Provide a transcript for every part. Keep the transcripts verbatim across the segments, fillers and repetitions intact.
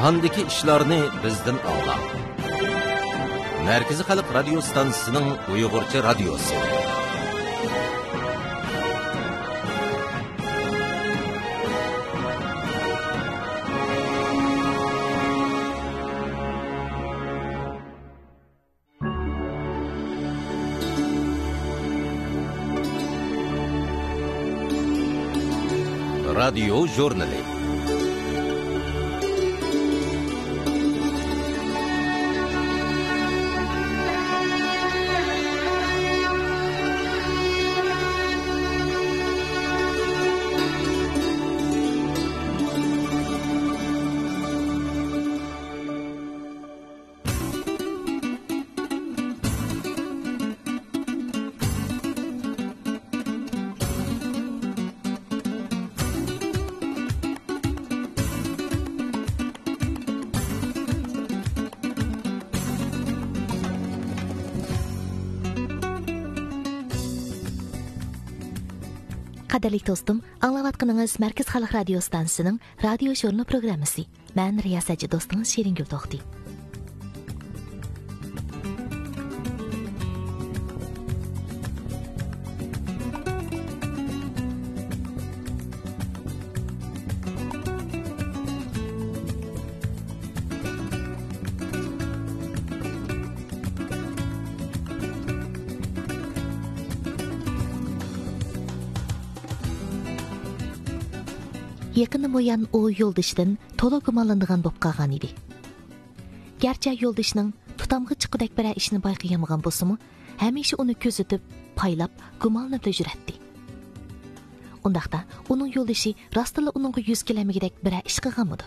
جاھاندىكى ئىشلارنى بىزدىن ئاڭلاڭ. مەركىزىي خەلق رادىيو ستانسىسىنىڭ ئۇيغۇرچە رادىيوسى. رادىيو ژۇرنىلى. قەدىرلىك دوستۇم، ئاڭلاۋاتقىنىڭىز مەركىزىي خەلق رادىيو ستانسىسىنىڭ رادىيو ژۇرنىلى پروگراممىسى. مەن رىياسەتچى دوستىڭىز شېرىنگۈل توختى. يېقىندىن بۇيان ئۇ يولدىشىدىن تولا گۇمانلىنىدىغان بولۇپ قالغان ئىدى. گەرچە يولدىشىنىڭ تۇتامغا چىققۇدەك بىرەر ئىشنى بايقىيالمىغان بولسىمۇ، ھەمىشە ئۇنى كۆزىتىپ، پايلاپ، گۇمانلىنىپلا يۈرەتتى. ئۇنداقتا، ئۇنىڭ يولدىشى راستتىنلا ئۇنىڭغا يۈز كېلەلمىگۈدەك بىرەر ئىش قىلغانمىدۇ؟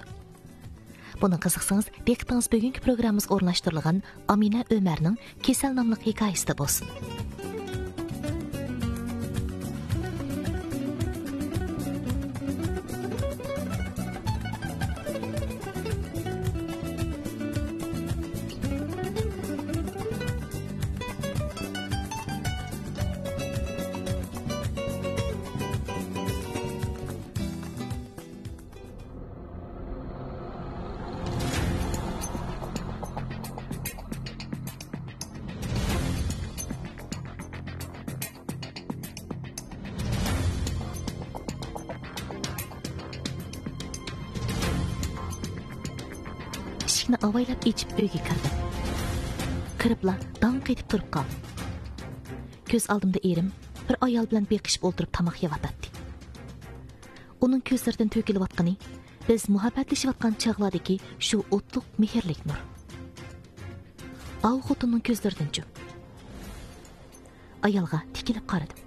بۇنىڭغا قىزىقسىڭىز، دىققىتىڭىز بۈگۈنكى پروگراممىمىزغا ئورۇنلاشتۇرۇلغان ئامىنە ئۆمەرنىڭ كېسەل ناملىق ھېكايىسىدە بولسۇن. ئىشىكنى ئاۋايلاپ ئېچىپ ئۆيگە كىردىم. كىرىپلا داڭ قېتىپ تۇرۇپ قالدىم. كۆز ئالدىمدا ئېرىم بىر ئايال بىلەن بېقىشىپ ئولتۇرۇپ تاماق يەۋاتاتتى. ئۇنىڭ كۆزلىرىدىن تۆكۈلۈۋاتقىنى بىز مۇھەببەتلىشىۋاتقان چاغلاردىكى شۇ ئوتلۇق مېھىرلىك نۇر. ئاۋۇ خوتۇننىڭ كۆزلىرىدىنچۇ؟ ئايالغا تىكىلىپ قارىدىم.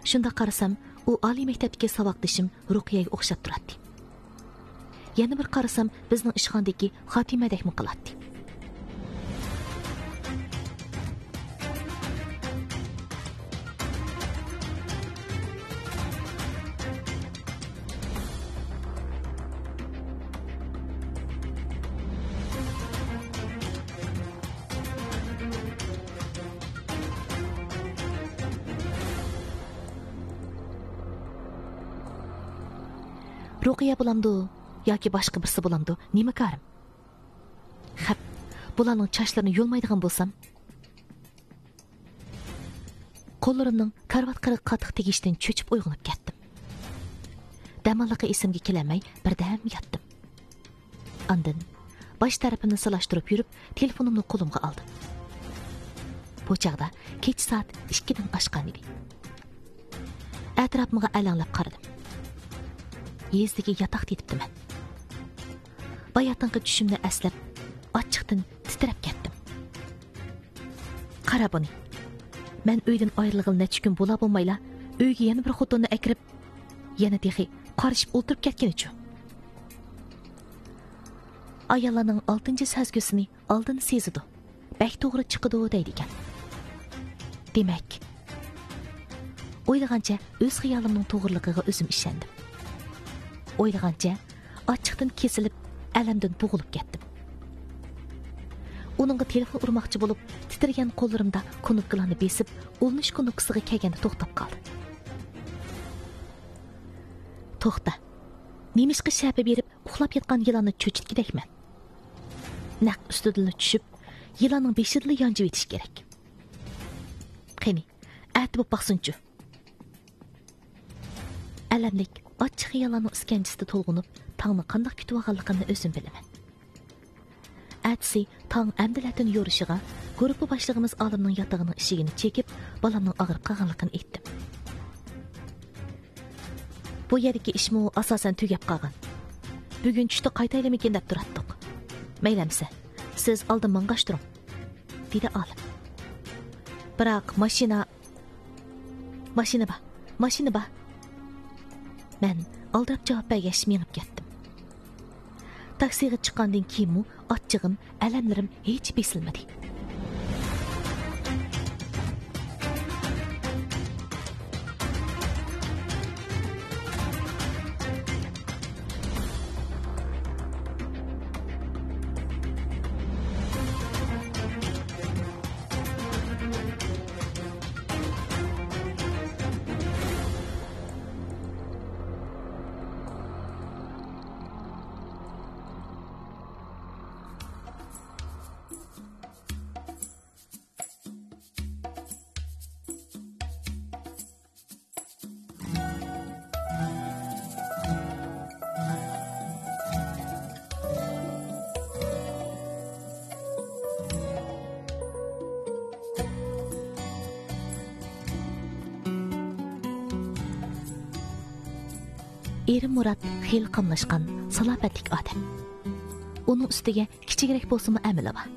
شۇنداق قارىسام، ئۇ ئالىي مەكتەپتىكى ساۋاقدىشىم رۇقىيەگە ئوخشاپ تۇراتتى. يەنە بىر قارىسام، بىزنىڭ ئىشخانىدىكى خاتىمەدەكمۇ قىلاتتى. رۇقىيە بولامدۇ ياكى باشقا بىرسى بولامدۇ، نېمە كارىم؟ خەپ، بۇلارنىڭ چاچلىرىنى يۇلمايدىغان بولسام. قوللىرىمنىڭ كارىۋات قىرىغا قاتتىق تېگىشىدىن چۆچۈپ ئويغىنىپ كەتتىم. دەماللىققا ئېسىمگە كېلەلمەي بىردەم ياتتىم. ئاندىن باش تەرىپىمنى سىلاشتۇرۇپ يۈرۈپ، تېلېفونۇمنى قولۇمغا ئالدىم. بۇ چاغدا كېچە سائەت ئىككىدىن ئاشقان ئىدى. ئەتراپىمغا ئەلەڭلەپ قارىدىم. يېزىدىكى ياتاقتا يېتىپتىمەن. باياتىنقى چۈشۈمنى ئەسلەپ، ئاچچىقتىن تىترەپ كەتتىم. قارا بۇنى. مەن ئۆيدىن ئايرىلغىلى نەچچە كۈن بولا بولمايلا، ئۆيگە يەنە بىر خوتۇننى ئەكىرىپ، يەنە تېخى قارىشىپ ئولتۇرۇپ كەتكىنىچۇ؟ ئاياللارنىڭ ئالتىنچى سەزگۈسىنى ئالدىن سېزىدۇ، بەك توغرا چىقىدۇ دەيدىكەن. دېمەك، ئويلىغانچە ئۆز خىيالىمنىڭ توغرىلىقىغا ئۆزۈم ئىشەندىم. ئويلىغانچە ئاچچىقتىن كېسىلىپ، ئەلەمدىن بوغۇلۇپ كەتتىم. ئۇنىڭغا تېلېفون ئۇرماقچى بولۇپ، تىترىگەن قوللىرىمدا كۇنۇپكىلارنى بېسىپ، ئۇلىنىش كۇنۇپكىسىغا كەلگەندە توختاپ قالدى. توختا. نېمىشقا شەپە بېرىپ، ئۇخلاپ ياتقان يىلاننى چۆچۈتكۈدەكمەن. نەق ئۈستىدىنلا چۈشۈپ، يىلاننىڭ بېشىدىلا يانجىۋېتىش كېرەك. قېنى، ئەتە بوپ باقسۇنچۇ. ئەلەملىك، ئاچچىق خىياللارنىڭ ئىسكەنجىسىدە تولغىنىپ، تاڭنى قانداق كۈتۈۋالغانلىقىمنى ئۆزۈم بىلىمەن. ئەتىسى تاڭ ئەمدىلەتىن يورۇشىغا، گۇرۇپپا باشلىقىمىز ئالىمنىڭ ياتىقىنىڭ ئىشىكىنى چېكىپ، بالامنىڭ ئاغرىپ قالغانلىقىنى ئېيتتىم. بۇ يەردىكى ئىشمۇ ئاساسەن تۈگەپ قالغان. بۈگۈن چۈشتە قايتايلىمىكىن دەپ تۇراتتۇق. مەيلى ئەمىسە، سىز ئالدىن ماڭغاچ تۇرۇڭ، دېدى ئالىم. بىراق ماشىنا، ماشىنا بار، ماشىنا بار. مەن ئالدىراپ جاۋاب بەرگەچ مېڭىپ كەتتىم. تاكسىغا چىققاندىن كېيىنمۇ ئاچچىقىم، ئەلەملىرىم ھېچ بېسىلمىدى. ئېرىم مۇرات خېلى قاملاشقان، سالاپەتلىك ئادەم. ئۇنىڭ ئۈستىگە كىچىكرەك بولسىمۇ ئەمىلى بار.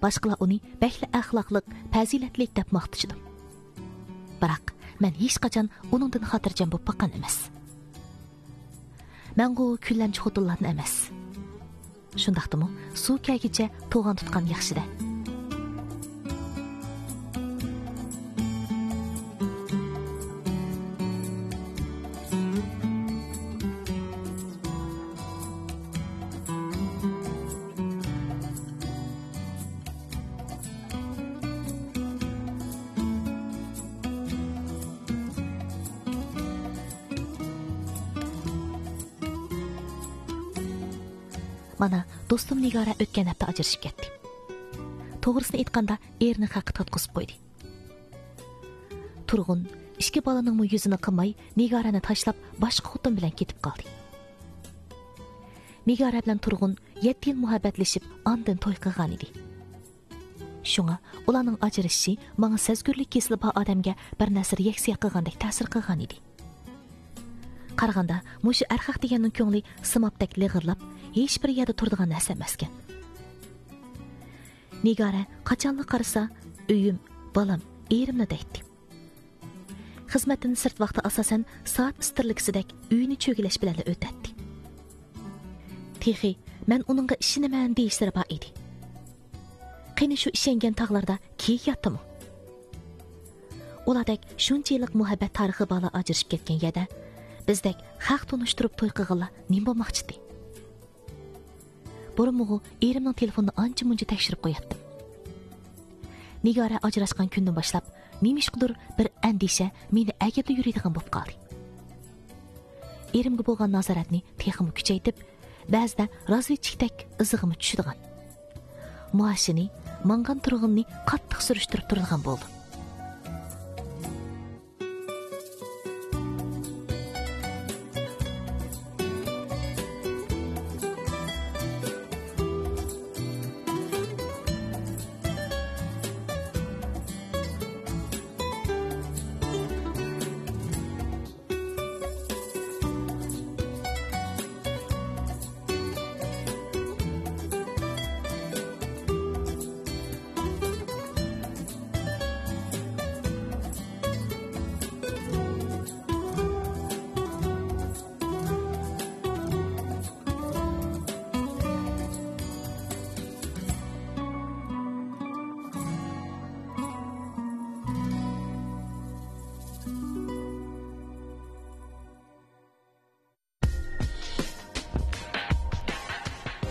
باشقىلار ئۇنى بەكلا ئەخلاقلىق، پەزىلەتلىك دەپ ماختىشىدۇ. بىراق، مەن ھېچقاچان ئۇنىڭدىن خاتىرجەم بولۇپ باققان ئەمەس. مەنغۇ كۈنلەمچى خوتۇنلاردىن ئەمەس. شۇنداقتىمۇ، سۇ كەلگىچە توغان تۇتقان ياخشىدە. مانا، دوستۇم نىگارە ئۆتكەن ھەپتە ئاجرىشىپ كەتتى. توغرىسىنى ئېيتقاندا، ئېرىنى خەققە تارتقۇزۇپ قويدى. تۇرغۇن ئىككى بالىنىڭمۇ يۈزىنى قىماي، نىگارەنى تاشلاپ، باشقا خوتۇن بىلەن كېتىپ قالدى. نىگارە بىلەن تۇرغۇن يەتتە يىل مۇھەببەتلىشىپ، ئاندىن توي قىلغانىدى. شۇڭا ئۇلارنىڭ ئاجرىشىشى ماڭا سەزگۈرلۈك كېسىلى بار ئادەمگە بىر نەرسە رېئاكسىيە قىلغاندەك تەسىر قىلغانىدى. قارىغاندا، مۇشۇ ئەرخەق دېگەننىڭ كۆڭلى سىمابتەك لىغىرلاپ، ھېچبىر يەردە تۇرىدىغان نەرسە ئەمەسكەن. نىگارە قاچانلا قارىسا، ئۆيۈم، بالام، ئېرىملا دەيتتى. خىزمەتتىن سىرت ۋاقتى ئاساسەن سائەت ئىستىرلىكىسىدەك ئۆيىنى چۆگىلەش بىلەنلا ئۆتەتتى. تېخى مەن ئۇنىڭغا ئىشىنىمەن دېيىشلىرى بار ئىدى. قېنى شۇ ئىشەنگەن تاغلاردا كېيىك ياتتىمۇ؟ ئۇلاردەك شۇنچە يىللىق مۇھەببەت تارىخى بارلار ئاجرىشىپ كەتكەن يەردە، بىزدەك خەق تونۇشتۇرۇپ توي قىلغانلار نېمە بولماقچىدى؟ بۇرۇنمۇغۇ ئېرىمنىڭ تېلېفونىنى ئانچە-مۇنچە تەكشۈرۈپ قوياتتىم. نىگارە ئاجراشقان كۈندىن باشلاپ، نېمىشقىدۇر بىر ئەندىشە مېنى ئەگىپلا يۈرىدىغان بولۇپ قالدى. ئېرىمگە بولغان نازارەتنى تېخىمۇ كۈچەيتىپ، بەزىدە رازۋېدچىكتەك ئىزىغىمۇ چۈشىدىغان، مائاشىنى، ماڭغان تۇرغىنىنى قاتتىق سۈرۈشتۈرۈپ تۇرىدىغان بولدۇم.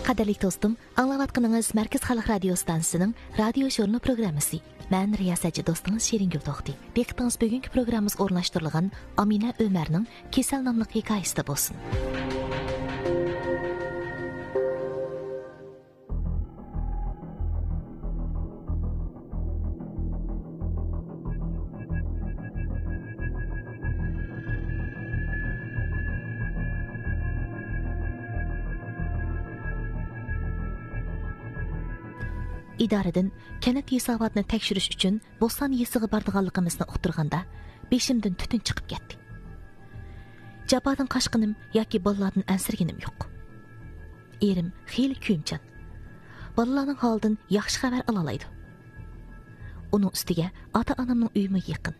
قەدىرلىك دوستۇم، ئاڭلاۋاتقىنىڭىز مەركىزىي خەلق رادىيو ئىستانسىسىنىڭ رادىيو ژۇرنىلى پروگراممىسى. مەن رىياسەتچى دوستىڭىز شېرىنگۈل توختى. دىققىتىڭىز بۈگۈنكى پروگراممىمىزغا ئورۇنلاشتۇرۇلغان ئامىنە ئۆمەرنىڭ كېسەل ناملىق ھېكايىسىدە بولسۇن. ئىدارىدىن كەنت ھېساباتىنى تەكشۈرۈش ئۈچۈن بوستان يېزىسىغا بارىدىغانلىقىمىزنى ئۇقتۇرغاندا، بېشىمدىن تۈتۈن چىقىپ كەتتى. جاپادىن قاچقىنىم ياكى بالىلاردىن ئەنسىرىگىنىم يوق. ئېرىم خېلى كۆيۈمچان. بالىلارنىڭ ھالىدىن ياخشى خەۋەر ئالالايدۇ. ئۇنىڭ ئۈستىگە ئاتا-ئانامنىڭ ئۆيىمۇ يېقىن.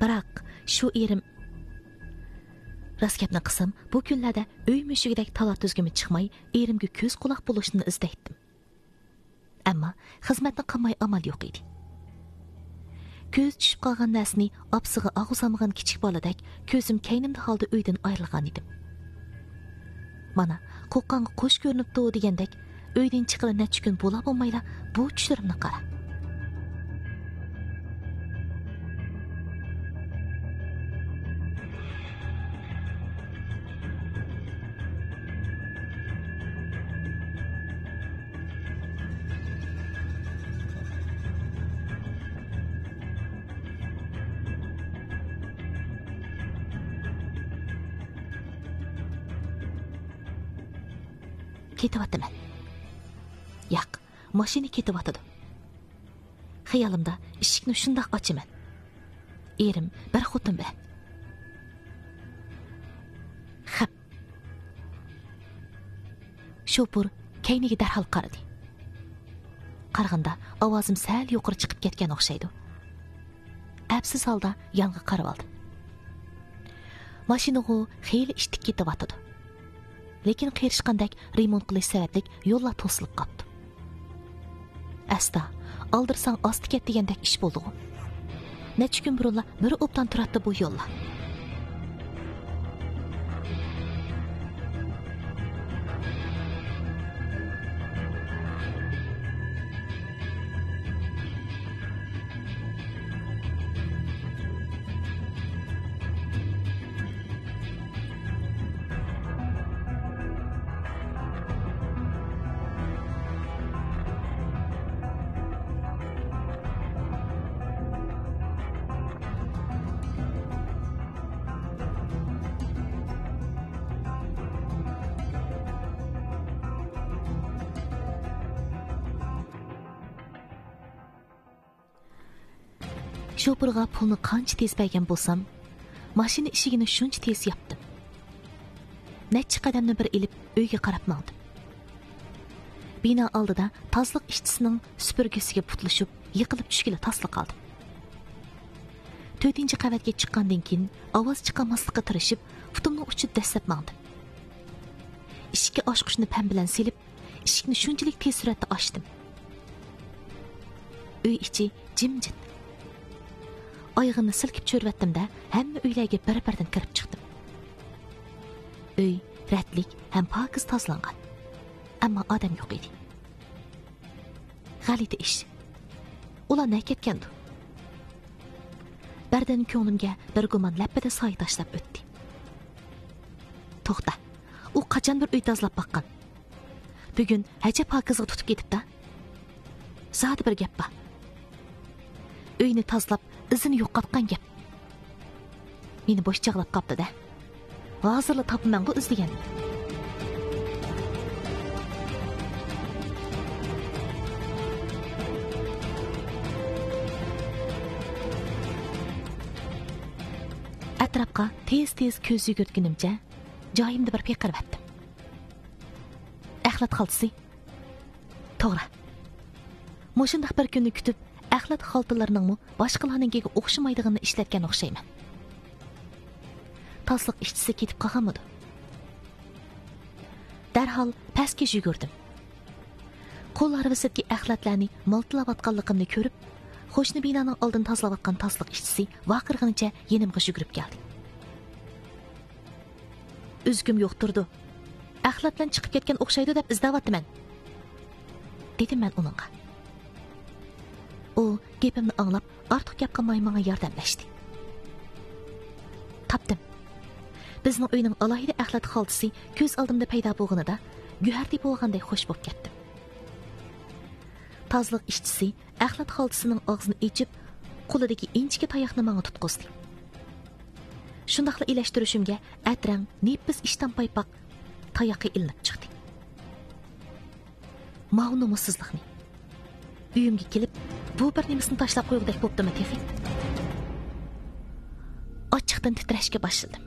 بىراق، شۇ ئېرىم، راست گەپنى قىلسام، بۇ كۈنلەردە ئۆي مۈشۈكىدەك تالا-تۈزگىمۇ چىقماي، ئېرىمگە كۆز-قۇلاق بولۇشنى ئىزدەيتتىم. ئەمما خىزمەتنى قىلماي ئامال يوق ئىدى. كۆزى چۈشۈپ قالغان نەرسىنى ئاپىسىغا ئاغزىغا سالمىغان كىچىك بالىدەك كۆزۈم كەينىمدە ھالدا ئۆيدىن ئايرىلغان ئىدىم. مانا، قوققانغا قوش كۆرۈنۈپتۇ دېگەندەك، ئۆيدىن چىققىلى نەچچە كۈن بولا بولمايلا بۇ چۈشلىرىمنى قارا. كېتىۋاتىمەن. ياق، ماشىنا كېتىۋاتىدۇ. خىيالىمدا ئىشىكنى شۇنداق ئاچىمەن. ئېرىم بىر خوتۇن بىلەن. خەپ. شوپۇر كەينىگە دەرھال قارىدى. قارىغاندا ئاۋازىم سەل يۇقىرى چىقىپ كەتكەن ئوخشايدۇ. ئەپسىز ھالدا يانغا قارىۋالدىم. ماشىنىغۇ خېلى ئىتتىك كېتىۋاتىدۇ. لېكىن قېرىشقاندەك رېمونت قىلىش سەۋەبلىك يوللار توسۇلۇپ قاپتۇ. ئەستا، ئالدىرىساڭ ئاستا كەت دېگەندەك ئىش بولدىغۇ. نەچچە كۈن بۇرۇنلا بىر ئوبدان تۇراتتى بۇ يوللار. شوپۇرغا پۇلنى قانچە تېز بەرگەن بولسام، ماشىنا ئىشىكىنى شۇنچە تېز ياپتىم. نەچچە قەدەمنى بىر ئېلىپ، ئۆيگە قاراپ ماڭدىم. بىنا ئالدىدا تازىلىق ئىشچىسىنىڭ سۈپۈرگىسىگە پۇتلىشىپ، يىقىلىپ چۈشكىلى تاسلا قالدىم. تۆتىنچى قەۋەتكە چىققاندىن كېيىن، ئاۋاز چىقارماسلىققا تىرىشىپ، پۇتۇمنىڭ ئۇچىدا دەسسەپ ماڭدىم. ئىشىككە ئاچقۇچنى پەم بىلەن سېلىپ، ئىشىكنى شۇنچىلىك تېز سۈرئەتتە ئاچتىم. ئۆي ئىچى جىمجىت. ئايىغىمنى سىلكىپ چۆرۈۋەتتىم-دە، ھەممە ئۆيلەرگە بىر-بىردىن كىرىپ چىقتىم. ئۆي رەتلىك ھەم پاكىز تازىلانغان. ئەمما ئادەم يوق ئىدى. غەلىتە ئىش. ئۇلار نەگە كەتكەندۇ؟ بىردىن كۆڭلۈمگە بىر گۇمان لەپپىدە سايە تاشلاپ ئۆتتى. توختا، ئۇ قاچان بىر ئۆي تازىلاپ باققان؟ بۈگۈن ھەجەپ پاكىزغا تۇتۇپ كېتىپتا. زادى بىر گەپ بار. ئۆينى تازىلاپ، ئىزىنى يوقاتقان گەپ. مېنى بوش چاغلاپ قاپتۇ-دە. ھازىرلا تاپىمەنغۇ ئىزدىگەن. ئەتراپقا تېز-تېز كۆز يۈگۈرتكىنىمچە، جايىمدا بىر پىقىرىۋەتتىم. ئەخلەت خالتىسى. توغرا. مۇشۇنداق بىر كۈننى كۈتۈپ، ئەخلەت خالتىلىرىنىڭمۇ باشقىلارنىڭكىگە ئوخشىمايدىغىنىنى ئىشلەتكەن ئوخشايمەن. تازىلىق ئىشچىسى كېتىپ قالغانمىدۇ؟ دەرھال پەسكە يۈگۈردۈم. قول ھارۋىسىدىكى ئەخلەتلەرنى مالتىلاۋاتقانلىقىمنى كۆرۈپ، قوشنا بىنانىڭ ئالدىنى تازىلاۋاتقان تازىلىق ئىشچىسى ۋارقىرىغىنىچە يېنىمغا يۈگۈرۈپ كەلدى. ئۈزۈكۈم يوق تۇرىدۇ. ئەخلەت بىلەن چىقىپ كەتكەن ئوخشايدۇ دەپ ئىزدەۋاتىمەن، دېدىم مەن ئۇنىڭغا. ئۇ گېپىمنى ئاڭلاپ، ئارتۇق گەپ قىلماي ماڭا ياردەملەشتى. تاپتىم. بىزنىڭ ئۆينىڭ ئالاھىدە ئەخلەت خالتىسى كۆز ئالدىمدا پەيدا بولغىنىدا، گۆھەر تېپىۋالغاندەك خوش بولۇپ كەتتىم. تازىلىق ئىشچىسى ئەخلەت خالتىسىنىڭ ئاغزىنى ئېچىپ، قولىدىكى ئىنچىكە تاياقنى ماڭا تۇتقۇزدى. شۇنداقلا ئىلەشتۈرۈشۈمگە ئەترەڭ نېپىز ئىشتان پايپاق تايىقى ئېلىنىپ چىقتى. ماۋۇ نومۇسسىزلىقنى، ئۆيۈمگە كېلىپ، بۇ بىر نېمىسىنى تاشلاپ قويغۇدەك بوپتىمۇ تېخى؟ ئاچچىقتىن تىترەشكە باشلىدىم.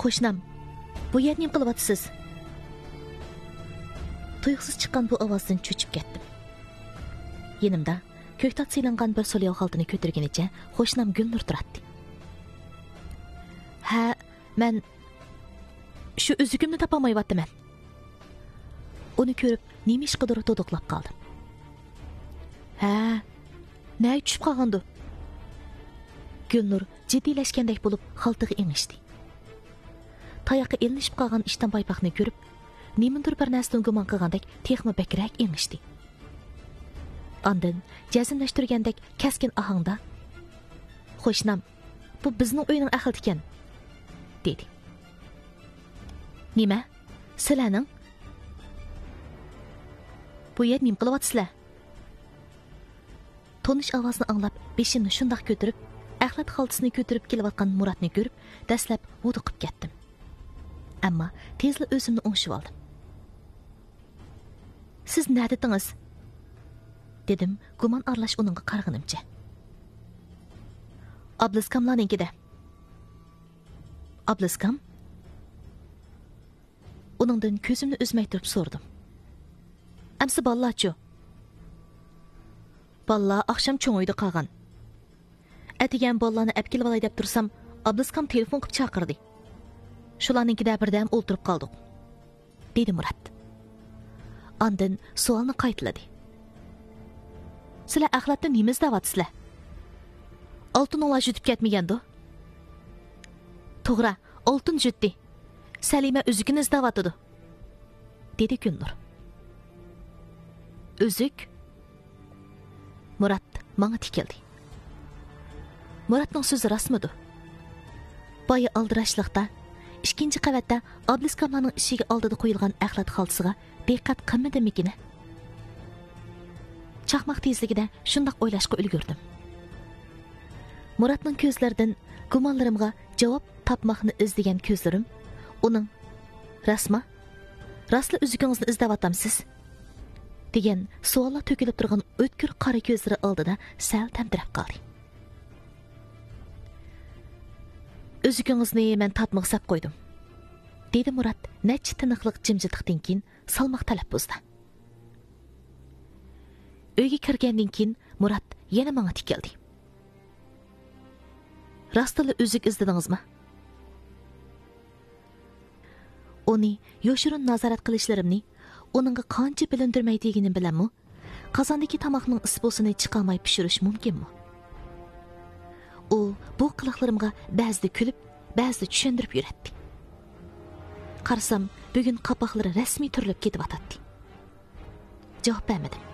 قوشنام، بۇ يەردە نېمە قىلىۋاتىسىز؟ تۇيۇقسىز چىققان بۇ ئاۋازدىن چۆچۈپ كەتتىم. يېنىمدا كۆكتات سېلىنغان بىر سولياۋ خالتىنى كۆتۈرگىنىچە قوشنام گۈلنۇر تۇراتتى. ھە، مەن شۇ ئۈزۈكۈمنى تاپالمايۋاتىمەن. ئۇنى كۆرۈپ، نېمە ئىشقىدۇر دۇدۇقلاپ قالدىم. ھە، نەگە چۈشۈپ قالغاندۇ؟ گۈلنۇر جىددىيلەشكەندەك بولۇپ، خالتىغا ئېڭىشتى. تاياققا ئىلىنىشىپ قالغان ئىشتان پايپاقنى كۆرۈپ، نېمىدۇر بىر نەرسىدىن گۇمان قىلغاندەك تېخىمۇ بەكرەك ئېڭىشتى. ئاندىن جەزملەشتۈرگەندەك كەسكىن ئاھاڭدا، «قوشنام، بۇ بىزنىڭ ئۆينىڭ ئەخلىتىكەن» دېدى. «نېمە؟ سىلەرنىڭ؟ بۇ يەردە نېمە قىلىۋاتىسىلەر؟» تونۇش ئاۋازنى ئاڭلاپ، بېشىمنى شۇنداق كۆتۈرۈپ، ئەخلەت خالتىسىنى كۆتۈرۈپ كېلىۋاتقان مۇراتنى كۆرۈپ، دەسلەپ ھودۇقۇپ كەتتىم. ئەمما تېزلا ئۆزۈمنى ئوڭشىۋالدىم. «سىز نەدىتىڭىز؟» دېدىم، گۇمان ئارىلاش ئۇنىڭغا قارىغىنىمچە. «ئابلىزكاملارنىڭكىدە.» «ئابلىزكام؟» ئۇنىڭدىن كۆزۈمنى ئۈزمەي تۇرۇپ سورىدىم. «ئەمسە بالىلارچۇ؟» «بالىلار ئاخشام چوڭ ئۆيدە قالغان. ئەتىگەن بالىلارنى ئەپ كېلىۋالاي دەپ تۇرسام، ئابلىزكام تېلېفون قىلىپ چاقىردى. شۇلارنىڭكىدە بىردەم ئولتۇرۇپ قالدۇق»، دېدى مۇرات. ئاندىن سوئالنى قايتىلىدى. «سىلەر ئەخلەتتە نېمە ئىزدەۋاتىسىلەر؟ ئالتۇنۇڭلار يۈتۈپ كەتمىگەندۇ؟» «توغرا، ئالتۇن يۈتتى. سەلىمە ئۈزۈكىنى ئىزدەۋاتىدۇ»، دېدى گۈلنۇر. «ئۈزۈك؟» مۇرات ماڭا تىكىلدى. «مۇراتنىڭ سۆزى راستمىدۇ؟ بايا ئالدىراشلىقتا ئىككىنچى قەۋەتتە ئابلىسكاملارنىڭ ئىشىكى ئالدىدا قويۇلغان ئەخلەت خالتىسىغا دىققەت قىلمىدىممىكىن؟» چاقماق تېزلىكىدە شۇنداق ئويلاشقا ئۈلگۈردۈم. مۇراتنىڭ كۆزلىرىدىن گۇمانلىرىمغا جاۋاب تاپماقنى ئىزدىگەن كۆزلىرىم ئۇنىڭ، «راستما؟ راستلا ئۈزۈكىڭىزنى ئىزدەۋاتامسىز؟» دېگەن سوئاللار تۆكۈلۈپ تۇرغان ئۆتكۈر قارا كۆزلىرى ئالدىدا سەل تەمتىرەپ قالدى. «ئۈزۈكىڭىزنى مەن تارتمىغا سەپ قويدۇم»، دېدى مۇرات نەچچە تىنىقلىق جىمجىتلىقتىن كېيىن سالماق تەلەپپۇزدا. ئۆيگە كىرگەندىن كېيىن مۇرات يەنە ماڭا تىكىلدى. «راستلا ئۈزۈك ئىزدىدىڭىزمۇ؟» ئۇنى يوشۇرۇن نازارەت قىلىشلىرىمنى ئۇنىڭغا قانچە بىلىندۈرمەي دېگىنىم بىلەنمۇ، قازاندىكى تاماقنىڭ ئىسپۇسىنى چىقارماي پىشۇرۇش مۇمكىنمۇ؟ ئۇ بۇ قىلىقلىرىمغا بەزىدە كۈلۈپ، بەزىدە چۈشەندۈرۈپ يۈرەتتى. قارىسام، بۈگۈن قاپاقلىرى رەسمىي تۈرۈلۈپ كېتىۋاتاتتى. جاۋاب بەرمىدىم.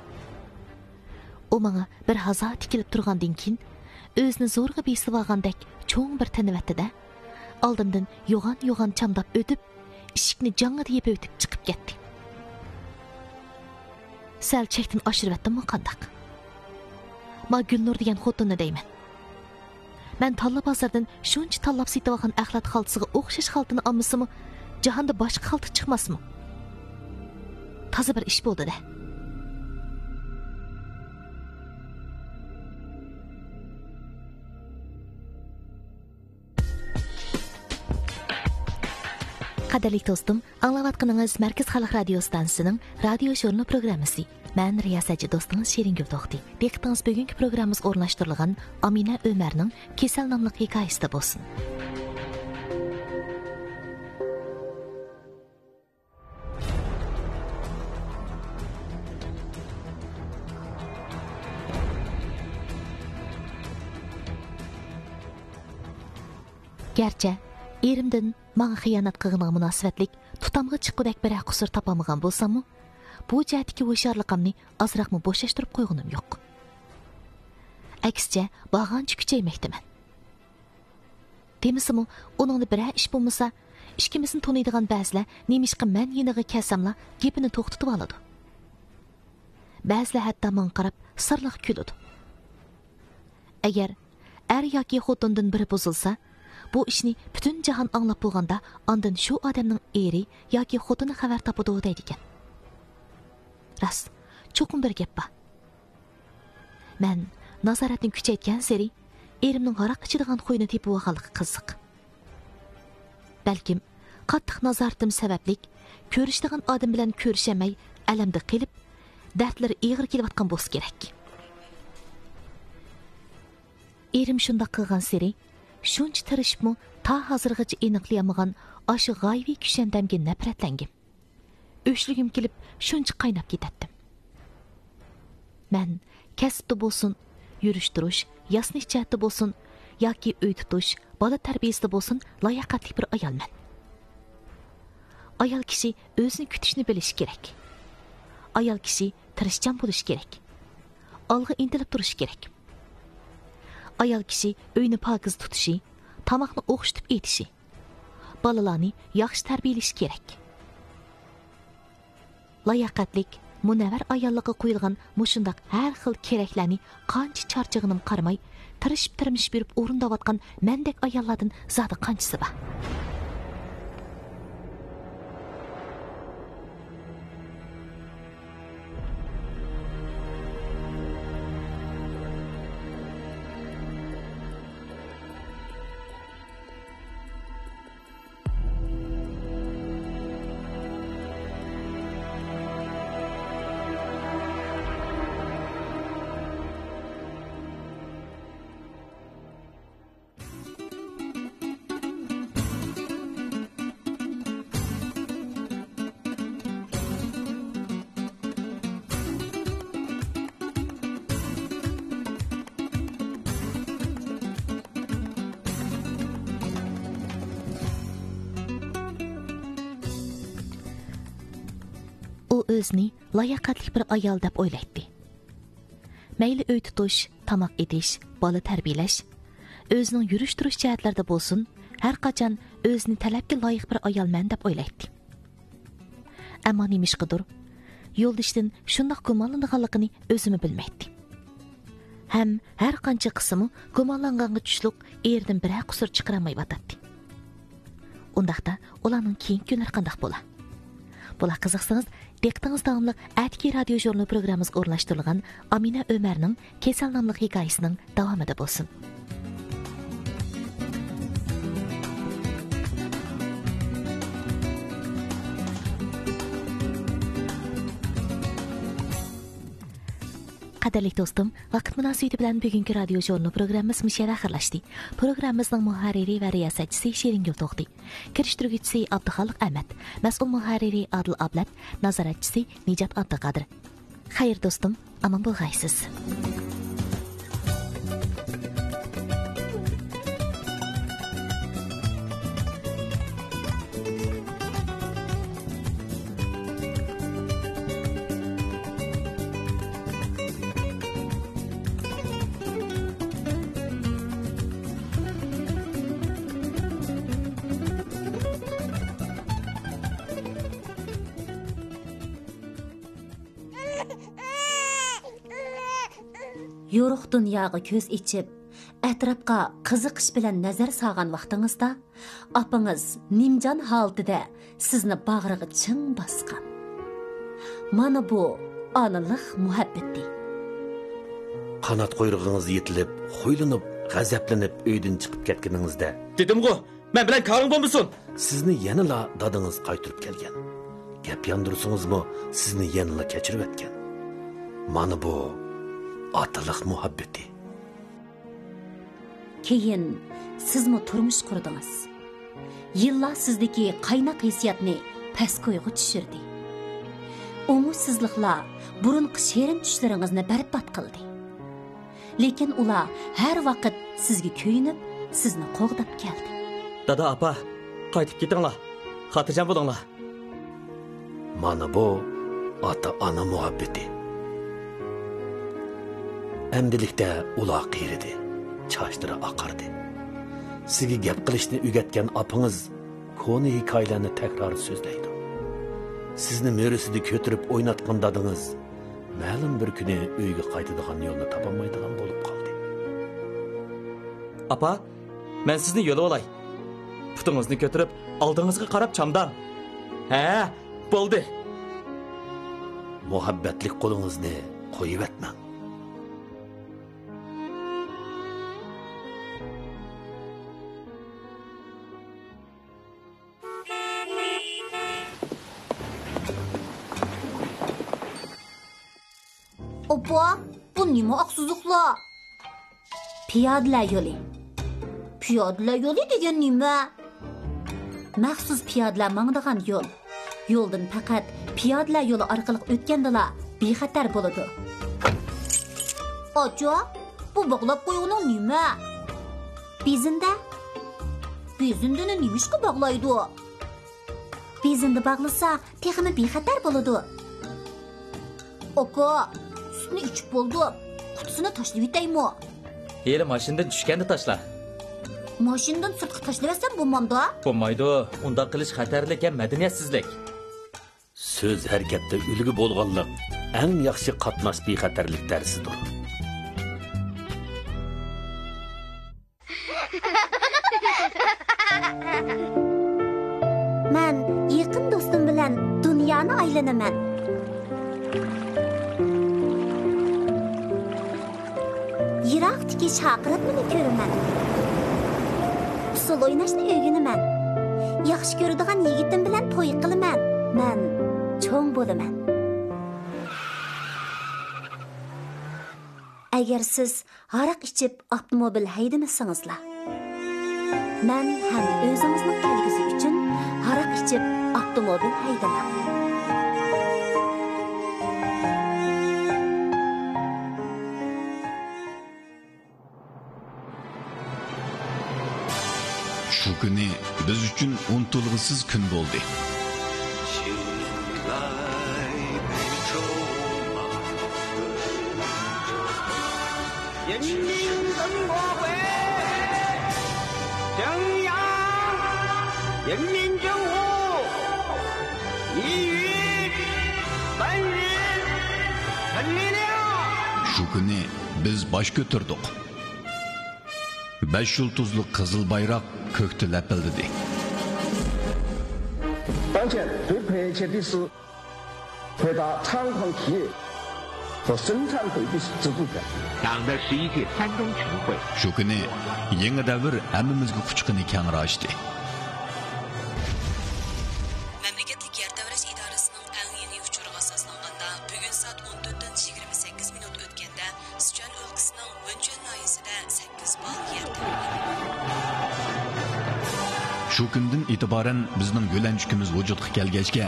ئۇ ماڭا بىر ھازا تىكىلىپ تۇرغاندىن كېيىن، ئۆزىنى زورىغا بېسىۋالغاندەك چوڭ بىر تىنىۋەتتى-دە، ئالدىمدىن يوغان-يوغان چامداپ ئۆتۈپ، ئىشىكنى جاڭڭىدە يېپىۋېتىپ چىقىپ كەتتى. سەل چەكتىن ئاشۇرۇۋەتتىممۇ قانداق؟ ما گۈلنۇر دېگەن خوتۇننى دەيمەن. مەن تاللا بازاردىن شۇنچە تاللاپ سېتىۋالغان ئەخلەت خالتىسىغا ئوخشاش خالتىنى ئالمىسىمۇ، جاھاندا باشقا خالتا چىقماسمۇ؟ تازا بىر ئىش بولدى-دە. قەدىرلىك دوستۇم، ئاڭلاۋاتقىنىڭىز مەركىزىي خەلق رادىيو ئىستانسىسىنىڭ رادىيو ژۇرنىلى پروگراممىسى. مەن رىياسەتچى دوستىڭىز شېرىنگۈل توختى. دىققىتىڭىز بۈگۈنكى پروگراممىمىزغا ئورۇنلاشتۇرۇلغان ئامىنە ئۆمەرنىڭ كېسەل ناملىق ھېكايىسىدە بولسۇن. گەرچە ئېرىمدىن ماڭا خىيانەت قىلغىنىغا مۇناسىۋەتلىك تۇتامغا چىققۇدەك بىرەر قۇسۇر تاپالمىغان بولساممۇ، بۇ جەھەتتىكى ھوشيارلىقىمنى ئازراقمۇ بوشاشتۇرۇپ قويغىنىم يوق. ئەكسىچە، بارغانچە كۈچەيمەكتىمەن. دېمىسىمۇ، ئۇنىڭدا بىرەر ئىش بولمىسا، ئىككىمىزنى تونۇيدىغان بەزىلەر نېمىشقا مەن يېنىغا كەلسەملا گېپىنى توختىتىۋالىدۇ. بەزىلەر ھەتتا ماڭا قاراپ سىرلىق كۈلىدۇ. ئەگەر ئەر ياكى خوتۇندىن بىرى بۇزۇلسا، بۇ ئىشنى پۈتۈن جاھان ئاڭلاپ بولغاندا، ئاندىن شۇ ئادەمنىڭ ئېرى ياكى خوتۇنى خەۋەر تاپىدۇ دەيدىكەن. راست، چوقۇم بىر گەپ بار. مەن نازارەتنى كۈچەيتكەنسېرى، ئېرىمنىڭ ھاراق ئىچىدىغان خۇيىنى تېپىۋالغانلىقى قىزىق. بەلكىم، قاتتىق نازارىتىم سەۋەبلىك، كۆرۈشىدىغان ئادەم بىلەن كۆرۈشەلمەي، ئەلەمدە قېلىپ، دەردلىرى ئېغىر كېلىۋاتقان بولسا كېرەك. ئېرىم شۇنداق قىلغانسېرى، شۇنچە تىرىشىپمۇ تا ھازىرغىچە ئېنىقلىيالمىغان ئاشۇ غايىۋى كۈشەندەمگە نەپرەتلەنگەن. ئۆچلىگۈم كېلىپ، شۇنچە قايناپ كېتەتتىم. مەن كەسىپتە بولسۇن، يۈرۈش-تۇرۇش، ياسىنىش جەھەتتە بولسۇن ياكى ئۆي تۇتۇش، بالا تەربىيىسىدە بولسۇن، لاياقەتلىك بىر ئايالمەن. ئايال كىشى ئۆزىنى كۈتۈشنى بىلىشى كېرەك. ئايال كىشى تىرىشچان بولۇشى كېرەك. ئالغا ئىنتىلىپ تۇرۇشى كېرەك. ئايال كىشى ئۆينى پاكىز تۇتۇشى، تاماقنى ئوخشىتىپ ئېتىشى، بالىلارنى ياخشى تەربىيەلىشى كېرەك. لاياقەتلىك، مۇنەۋۋەر ئاياللىققا قويۇلغان مۇشۇنداق ھەر خىل كېرەكلەرنى قانچە چارچىغىنىم قارىماي، تىرىشىپ-تىرمىشىپ يۈرۈپ ئورۇنداۋاتقان مەندەك ئاياللاردىن زادى قانچىسى بار؟ ئۇ ئۆزىنى لاياقەتلىك بىر ئايال دەپ ئويلايتتى. مەيلى ئۆي تۇتۇش، تاماق ئېتىش، بالا تەربىيەلەش، ئۆزىنىڭ يۈرۈش-تۇرۇش جەھەتلىرىدە بولسۇن، ھەر قاچان ئۆزىنى تەلەپكە لايىق بىر ئايالمەن دەپ ئويلايتتى. ئەمما نېمىشقىدۇر، يولدىشىدىن شۇنداق گۇمانلىنىدىغانلىقىنى ئۆزىمۇ بىلمەيتتى. ھەم ھەر قانچە قىلسىمۇ، گۇمانلانغانغا چۈشلۈق ئېرىدىن بىرەر قۇسۇر چىقىرالمايۋاتاتتى. ئۇنداقتا، ئۇلارنىڭ كېيىنكى كۈنلىرى قانداق بولا؟ بۇلار قىزىقسىڭىز، دىققىتىڭىز داۋاملىق ئەتىكى رادىيو ژۇرنىلى پروگراممىسىغا ئورۇنلاشتۇرۇلغان ئامىنە ئۆمەرنىڭ كېسەل ناملىق ھېكايىسىنىڭ داۋامىدا بولسۇن. قەدىرلىك دوستۇم، ۋاقىت مۇناسىۋىتى بىلەن بۈگۈنكى رادىيو ژۇرنىلى پروگراممىمىز مۇشۇ يەردە ئاخىرلاشتى. پروگراممىمىزنىڭ مۇھەررىرى ۋە رىياسەتچىسى شېرىنگۈل توختى. كىرىشتۈرگۈچىسى ئابدۇخالىق ئەمەت. مەسئۇل مۇھەررىرى ئادىل ئابلەت. نازارەتچىسى نىجات ئابدۇقادىر. خەير دوستۇم، ئامان بولغايسىز. يورۇق دۇنياغا كۆز ئېچىپ، ئەتراپقا قىزىقىش بىلەن نەزەر سالغان ۋاقتىڭىزدا، ئاپىڭىز نىمجان ھالىتىدە سىزنى باغرىغا چىڭ باسقان. مانا بۇ ئانىلىق مۇھەببىتى. قانات قۇيرۇقىڭىز يېتىلىپ، خۇيلىنىپ، غەزەپلىنىپ ئۆيدىن چىقىپ كەتكىنىڭىزدە، دېدىمغۇ، مەن بىلەن كارىڭ بولمىسۇن! سىزنى يەنىلا دادىڭىز قايتۇرۇپ كەلگەن. گەپ ياندۇرسىڭىزمۇ، سىزنى يەنىلا كەچۈرۈۋەتكەن. مانا بۇ ئاتىلىق مۇھەببىتى. كېيىن سىزمۇ تۇرمۇش قۇردىڭىز. يىللار سىزدىكى قايناق ھېسسىياتنى پەسكويغا چۈشۈردى. ئوڭۇشسىزلىقلار بۇرۇنقى شېرىن چۈشلىرىڭىزنى بەربات قىلدى. لېكىن ئۇلار ھەر ۋاقىت سىزگە كۆيۈنۈپ، سىزنى قوغداپ كەلدى. دادا، ئاپا، قايتىپ كېتىڭلار. خاتىرجەم بولۇڭلار. مانا بۇ ئاتا-ئانا مۇھەببىتى. ئەمدىلىكتە ئۇلار قېرىدى، چاچلىرى ئاقاردى. سىزگە گەپ قىلىشنى ئۆگەتكەن ئاپىڭىز كونا ھېكايىلەرنى تەكرار سۆزلەيدۇ. سىزنى مۈرىسىدە كۆتۈرۈپ ئويناتقان دادىڭىز مەلۇم بىر كۈنى ئۆيگە قايتىدىغان يولنى تاپالمايدىغان بولۇپ قالدى. ئاپا، مەن سىزنى يوللىۋالاي. پۇتىڭىزنى كۆتۈرۈپ، ئالدىڭىزغا قاراپ چامداڭ. ھە، بولدى. مۇھەببەتلىك قولىڭىزنى قويۇۋەتمەڭ. ئاپا، بۇ نېمە ئاق سىزىقلار؟ پىيادىلەر يولى. پىيادىلەر يولى دېگەن نېمە؟ مەخسۇس پىيادىلەر ماڭىدىغان يول. يولدىن پەقەت پىيادىلەر يولى ئارقىلىق ئۆتكەندىلا بىخەتەر بولىدۇ. ئاچا، بۇ باغلاپ قويغىنىڭ نېمە؟ بېزىندە. بېزىندىنى نېمىشقا باغلايدۇ؟ بېزىندە باغلىسا، تېخىمۇ بىخەتەر بولىدۇ. ئاكا، سۈتنى ئىچىپ بولدۇم. قۇتىسىنى تاشلىۋېتەيمۇ؟ ھېلى ماشىنىدىن چۈشكەندە تاشلا. ماشىنىدىن سىرتقا تاشلىۋەتسەم بولمامدۇ؟ بولمايدۇ. ئۇنداق قىلىش خەتەرلىك ھەم مەدەنىيەتسىزلىك. سۆز ھەرىكەتتە ئۈلگە بولغانلىق ئەڭ ياخشى قاتناش بىخەتەرلىك دەرسىدۇر. مەن يېقىن دوستۇم بىلەن دۇنيانى ئايلىنىمەن. يىراقتىكى شاقىراتمىنى كۆرىمەن. ئۇسسۇل ئويناشنى ئۆگىنىمەن. ياخشى كۆرىدىغان يىگىتىم بىلەن توي قىلىمەن. مەن چوڭ بولىمەن. ئەگەر سىز ھاراق ئىچىپ ئاپتوموبىل ھەيدىمىسىڭىزلا، مەن ھەم ئۆزىڭىزنىڭ كەلگۈسى ئۈچۈن ھاراق ئىچىپ ئاپتوموبىل ھەيدىمەڭ. شۇ كۈنى بىز ئۈچۈن ئۇنتۇلغۇسىز كۈن بولدى. 人民政府国会，中央人民政府，你与本人成立了。 شۇ كۈنى بىز باش كۆتۈردۇق. بەش يۇلتۇزلۇق قىزىل بايراق كۆكتە لەپىلدىدى. 当前最迫切的是 回答猖狂企业和生产队的制度权。党的十一届三中全会。 شۇ كۈنى يېڭى دەۋر ھەممىمىزگە قۇچىقىنى كەڭرى ئاچتى. مەملىكەتلىك يەر تەۋرەش ئىدارىسىنىڭ ئەڭ يېڭى ئۇچۇرىغا ئاساسلانغاندا، بۈگۈن سائەت ئون تۆتتىن يىگىرمە سەككىز مىنۇت ئۆتكەندە، سىچۈەن ئۆلكىسىنىڭ ۋېنچۈەن ناھىيەسىدە سەككىز بال يەر تەۋرىدى. شۇ كۈندىن ئېتىبارەن بىزنىڭ يۆلەنچۈكىمىز ۋۇجۇدقا كەلگەچكە،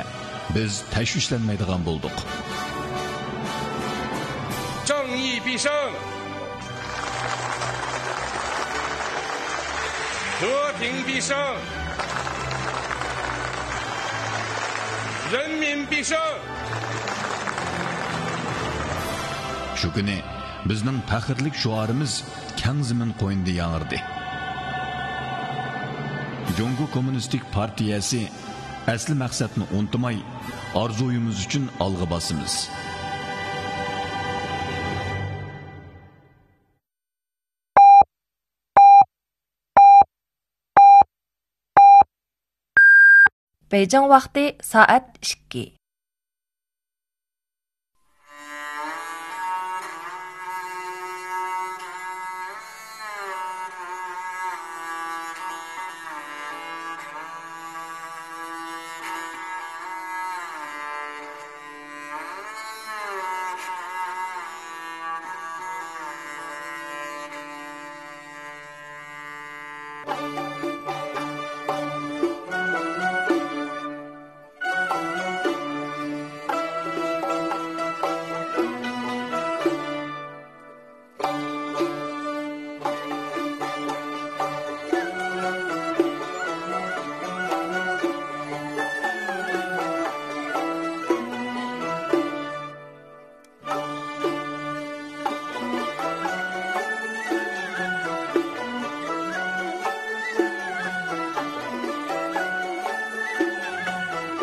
بىز تەشۋىشلەنمەيدىغان بولدۇق. 正义必胜！和平必胜！人民必胜！ شۇ كۈنى بىزنىڭ پەخىرلىك شوئارىمىز كەڭ زېمىن قوينىدا ياڭرىدى. جۇڭگو كوممۇنىستىك پارتىيەسى ئەسلى مەقسەتنى ئۇنتۇماي، ئارزۇيىمىز ئۈچۈن ئالغا باسىمىز. بېيجىڭ ۋاقتى سائەت ئىككى.